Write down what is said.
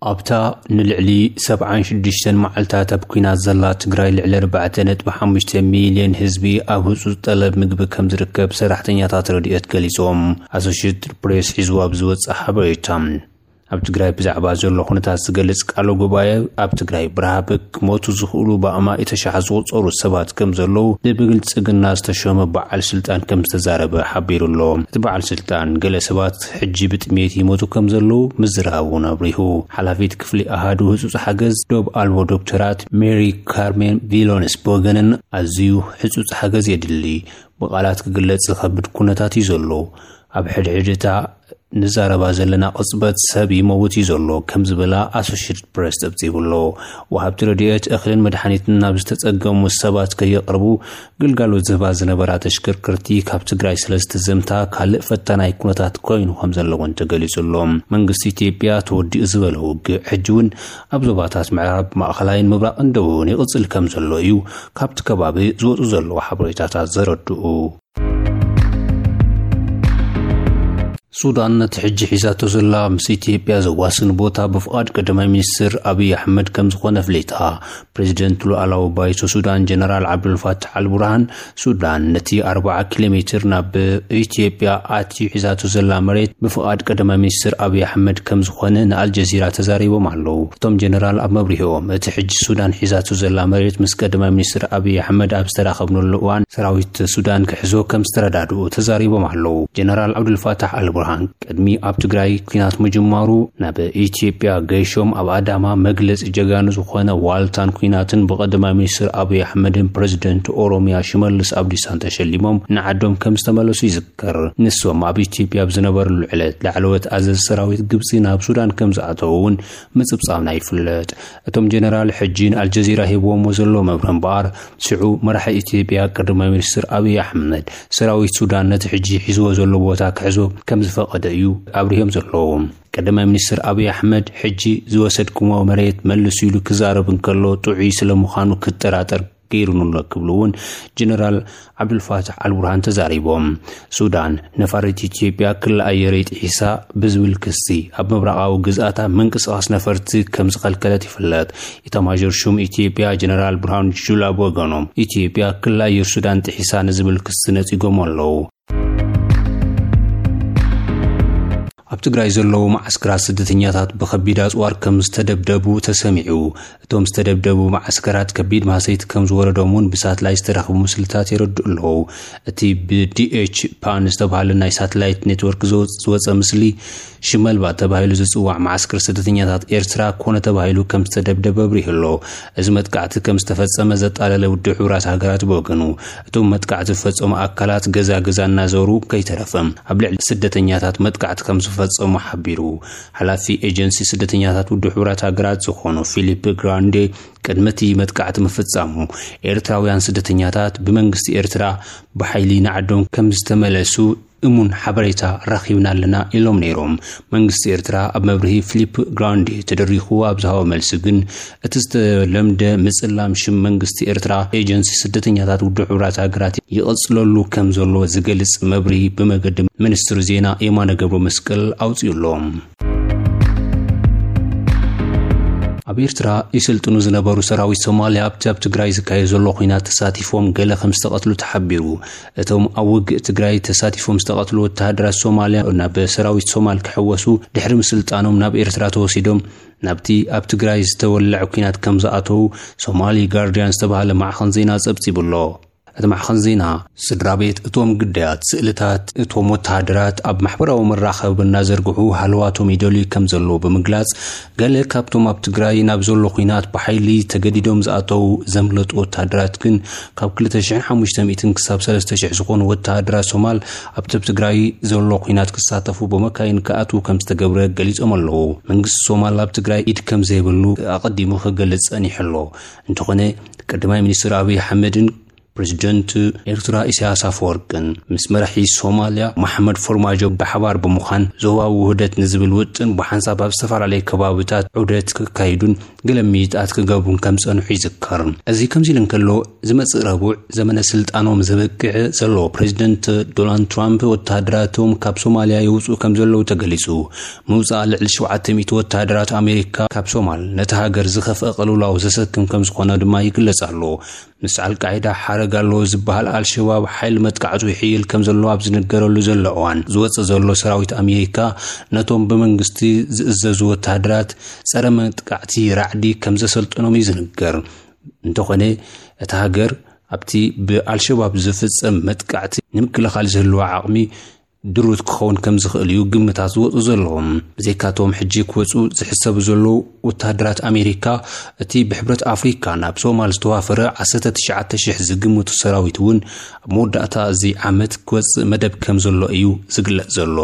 ኣብታ ንልዕሊ ሰብዓን ሽዱሽተን መዓልታት ኣብ ኲናት ዘላ ትግራይ፣ ልዕሊ ኣርባዕተ ነጥቢ ሓሙሽተ ሚልዮን ህዝቢ ኣብ ህጹጽ ጠለብ ምግቢ ከም ዝርከብ ሰራሕተኛታት ረድኤት ገሊጾም። ኣሶሽየትድ ፕሬስ ሒዝዋ ኣብ ዝወጽእ ሓበሬታ፣ ኣብ ትግራይ ብዛዕባ ዘሎ ኩነታት ዝገልጽ ቃለ ጉባኤ፣ ኣብ ትግራይ ብረሃብ ክሞቱ ዝኽእሉ ብኣማኢተ ሸሓት ዝቑጸሩ ሰባት ከም ዘለዉ ብብልጽግና ዝተሾመ በዓል ስልጣን ከም ዝተዛረበ ሓቢሩ ኣሎ። እቲ በዓል ስልጣን፣ ገለ ሰባት ሕጂ ብጥሜት ይሞቱ ከም ዘለዉ ምዝራብ እውን ኣብሪሁ። ሓላፊት ክፍሊ ኣሃዱ ህጹጽ ሓገዝ ዶብ ኣልቦ ዶክተራት ሜሪ ካርሜን ቪሎንስ ብወገነን፣ ኣዝዩ ህጹጽ ሓገዝ የድሊ። ብቓላት ክግለጽ ዝኸብድ ኩነታት እዩ ዘሎ። ኣብ ሕድሕድ እታ ንዛረባ ዘለና ቅጽበት ሰብ ይመውት እዩ ዘሎ፣ ከም ዝበላ ኣሶሽየትድ ፕሬስ ጸብጺቡ ኣሎ። ወሃብቲ ረድኤት እኽልን መድሓኒትን ናብ ዝተጸገሙ ሰባት ከየቕርቡ ግልጋሎት ዝህባ ዝነበራ ተሽከርከርቲ ካብ ትግራይ ስለ ዝተዘምታ፣ ካልእ ፈታናይ ኩነታት ኮይኑ ከም ዘሎ እውን ተገሊጹ ኣሎ። መንግስቲ ኢትዮጵያ ተወዲኡ ዝበለ ውግእ ሕጂ እውን ኣብ ዞባታት ምዕራብ፣ ማእኸላይን ምብራቕን ደቡብን ይቕጽል ከም ዘሎ እዩ ካብቲ ከባቢ ዝወጹ ዘለዉ ሓበሬታታት ዘረድኡ። ሱዳን ነቲ ሕጂ ሒዛቶ ዘላ ምስ ኢትዮጵያ ዘዋስን ቦታ ብፍቓድ ቀዳማይ ሚኒስትር ኣብይ ኣሕመድ ከም ዝኾነ ኣፍሊጣ። ፕሬዚደንት ሉኣላዊ ባይቶ ሱዳን ጀነራል ዓብዱልፋታሕ ኣልቡርሃን፣ ሱዳን ነቲ ኣርብዓ ኪሎ ሜትር ናብ ኢትዮጵያ ኣትዩ ሒዛቶ ዘላ መሬት ብፍቓድ ቀዳማይ ሚኒስትር ኣብይ ኣሕመድ ከም ዝኾነ ንኣልጀዚራ ተዛሪቦም ኣለዉ። እቶም ጀነራል ኣብ መብርሂኦም፣ እቲ ሕጂ ሱዳን ሒዛቶ ዘላ መሬት ምስ ቀዳማይ ሚኒስትር ኣብይ ኣሕመድ ኣብ ዝተራኸብነሉ እዋን ሰራዊት ሱዳን ክሕዞ ከም ዝተረዳድኡ ተዛሪቦም ኣለዉ። ጀነራል ዓብዱልፋታሕ ኣልቡርሃን ቅድሚ ኣብ ትግራይ ኲናት ምጅማሩ ናብ ኢትዮጵያ ገይሾም ኣብ ኣዳማ መግለጺ ጀጋኑ ዝኾነ ዋልታን ኲናትን ብቐዳማይ ሚኒስትር ኣብይ ኣሕመድን ፕሬዚደንት ኦሮሚያ ሽመልስ ኣብዲሳን ተሸሊሞም ንዓዶም ከም ዝተመለሱ ይዝከር። ንሶም ኣብ ኢትዮጵያ ኣብ ዝነበርሉ ዕለት ላዕለዎት ኣዘዝ ሰራዊት ግብጺ ናብ ሱዳን ከም ዝኣተዉ እውን ምጽብጻብና ይፍለጥ። እቶም ጀነራል ሕጂ ንኣልጀዚራ ሂብዎሞ ዘሎ መብርሂ እምበኣር፣ ሽዑ መራሒ ኢትዮጵያ ቀዳማይ ሚኒስትር ኣብይ ኣሕመድ ሰራዊት ሱዳን ነቲ ሕጂ ሒዝዎ ዘሎ ቦታ ክሕዞ ከም ዝፈቐደ እዩ ኣብሪሆም ዘለዉ። ቀዳማይ ሚኒስትር ኣብይ ኣሕመድ ሕጂ ዝወሰድኩሞ መሬት መልሱ ኢሉ ክዛረብ እንከሎ ጥዑይ ስለ ምዃኑ ክጠራጠር ገይሩኒ ኣሎ ክብሉ እውን ጀነራል ዓብዱልፋታሕ ኣልቡርሃን ተዛሪቦም። ሱዳን ነፋሪት ኢትዮጵያ ክሊ ኣየረይ ጥሒሳ ብዝብል ክሲ ኣብ ምብራቓዊ ግዝኣታ ምንቅስቓስ ነፈርቲ ከም ዝኸልከለት ይፍለጥ። ኢታማዦር ሹም ኢትዮጵያ ጀነራል ብርሃኑ ጁላ ብወገኖም፣ ኢትዮጵያ ክሊ ኣየር ሱዳን ጥሒሳ ንዝብል ክሲ ነጺጎም ኣለዉ። ኣብ ትግራይ ዘለዉ መዓስከራት ስደተኛታት ብኸቢድ ኣጽዋር ከም ዝተደብደቡ ተሰሚዑ። እቶም ዝተደብደቡ መዓስከራት ከቢድ ማህሰይቲ ከም ዝወረዶም እውን ብሳትላይት ዝተረኽቡ ምስልታት የረድኡ ኣለዉ። እቲ ብዲኤች ፓን ዝተባህለ ናይ ሳትላይት ኔትወርክ ዝወ-፣ ዝወጸ ምስሊ ሽመልባ ተባሂሉ ዝጽዋዕ መዓስከር ስደተኛታት ኤርትራ ኮነ ተባሂሉ ከም ዝተደብደበ ኣብሪሁ ኣሎ። እዚ መጥቃዕቲ ከም ዝተፈጸመ ዘጣለለ ውድብ ሕቡራት ሃገራት ብወገኑ፣ እቶም መጥቃዕቲ ዝፈጸሙ ኣካላት ገዛ ገዛ እናዞሩ ከይተረፈ ኣብ ልዕሊ ስደተኛታት መጥቃዕቲ ከም ዝፈጸሙ ሓቢሩ። ሓላፊ ኤጀንሲ ስደተኛታት ውድብ ሕቡራት ሃገራት ዝኾኑ ፊሊፕ ግራንዴ፣ ቅድሚ እቲ መጥቃዕቲ ምፍጻሙ ኤርትራውያን ስደተኛታት ብመንግስቲ ኤርትራ ብሓይሊ ንዓዶም ከም ዝተመለሱ እሙን ሓበሬታ ረኺብና ኣለና ኢሎም ነይሮም። መንግስቲ ኤርትራ ኣብ መብርሂ ፊሊፕ ግራንዴ ተደሪኹ ኣብ ዝሃቦ መልሲ ግን፣ እቲ ዝተለምደ ምጽላም ሽም መንግስቲ ኤርትራ ኤጀንሲ ስደተኛታት ውድብ ሕቡራት ሃገራት ይቕጽለሉ ከም ዘሎ ዝገልጽ መብርሂ ብመገዲ ሚኒስትሪ ዜና የማነ ገብረ መስቀል ኣውጺኡ ኣሎ። ኣብ ኤርትራ ይስልጥኑ ዝነበሩ ሰራዊት ሶማልያ ኣብቲ ኣብ ትግራይ ዝካየድ ዘሎ ኲናት ተሳቲፎም ገለ ከም ዝተቐትሉ ተሓቢሩ። እቶም ኣብ ውግእ ትግራይ ተሳቲፎም ዝተቐትሉ ወተሃደራት ሶማልያ ናብ ሰራዊት ሶማል ክሕወሱ ድሕሪ ምስልጣኖም ናብ ኤርትራ ተወሲዶም ናብቲ ኣብ ትግራይ ዝተወልዐ ኲናት ከም ዝኣተዉ ሶማሊ ጋርዲያን ዝተባህለ ማዕኸን ዜና ጸብጺቡ ኣሎ። እቲ ማዕኸን ዜና፣ ስድራ ቤት እቶም ግዳያት፣ ስእልታት እቶም ወተሃደራት ኣብ ማሕበራዊ መራኸቢ እናዘርግሑ ሃለዋቶም ይደልዩ ከም ዘለዉ ብምግላጽ፣ ገለ ካብቶም ኣብ ትግራይ ናብ ዘሎ ኲናት ብሓይሊ ተገዲዶም ዝኣተዉ ዘምለጡ ወተሃደራት ግን፣ ካብ ክልተ ሽሕን ሓሙሽተ ሚእትን ክሳብ ሰለስተ ሽሕ ዝኾኑ ወተሃደራት ሶማል ኣብቲ ኣብ ትግራይ ዘሎ ኲናት ክሳተፉ ብመካይን ክኣትዉ ከም ዝተገብረ ገሊጾም ኣለዉ። መንግስቲ ሶማል ኣብ ትግራይ ኢድ ከም ዘይብሉ ኣቐዲሙ ክገልጽ ጸኒሑ ኣሎ። እንተኾነ፣ ቀዳማይ ሚኒስትር ኣብይ ኣሕመድን ፕሬዚደንት ኤርትራ ኢሳያስ ኣፈወርቅን ምስ መራሒ ሶማልያ መሓመድ ፎርማጆ ብሓባር ብምዃን ዞባዊ ውህደት ንዝብል ውጥን ብሓንሳብ ኣብ ዝተፈላለዩ ከባብታት ዑደት ክካይዱን ገለ ምይይጣት ክገብሩን ከም ዝጸንሑ ይዝከር። እዚ ከምዚ ኢሉ እንከሎ፣ ዝመጽእ ረቡዕ ዘመነ ስልጣኖም ዘበቅዕ ዘሎ ፕሬዚደንት ዶናልድ ትራምፕ ወተሃደራቶም ካብ ሶማልያ የውጽኡ ከም ዘለዉ ተገሊጹ። ምውጻእ ልዕሊ ሸውዓተ ሚእቲ ወተሃደራት ኣሜሪካ ካብ ሶማል ነቲ ሃገር ዝኸፍአ ቅልውላው ዘሰክም ከም ዝኾነ ድማ ይግለጽ ኣሎ። ምስ ኣልቃይዳ ሓረግ ኣለዎ ዝበሃል ኣልሸባብ ሓይሊ መጥቃዕቱ ይሕይል ከም ዘሎ ኣብ ዝንገረሉ ዘሎ እዋን፣ ዝወጽእ ዘሎ ሰራዊት ኣሜሪካ ነቶም ብመንግስቲ ዝእዘዙ ወተሃደራት ጸረ መጥቃዕቲ ራዕዲ ከም ዘሰልጠኖም እዩ ዝንገር። እንተኾነ፣ እታ ሃገር ኣብቲ ብኣልሸባብ ዝፍጸም መጥቃዕቲ ንምክልኻል ዝህልዋ ዓቕሚ ድሩት ክኸውን ከም ዝኽእል እዩ ግምታት ዝወጹ ዘለዎም። ብዘይካቶም ሕጂ ክወጹ ዝሕሰቡ ዘለዉ ወተሃደራት ኣሜሪካ፣ እቲ ብሕብረት ኣፍሪካ ናብ ሶማል ዝተዋፈረ ዓሰርተ ትሽዓተ ሽሕ ዝግምቱ ሰራዊት እውን ኣብ መወዳእታ እዚ ዓመት ክወጽእ መደብ ከም ዘሎ እዩ ዝግለጽ ዘሎ።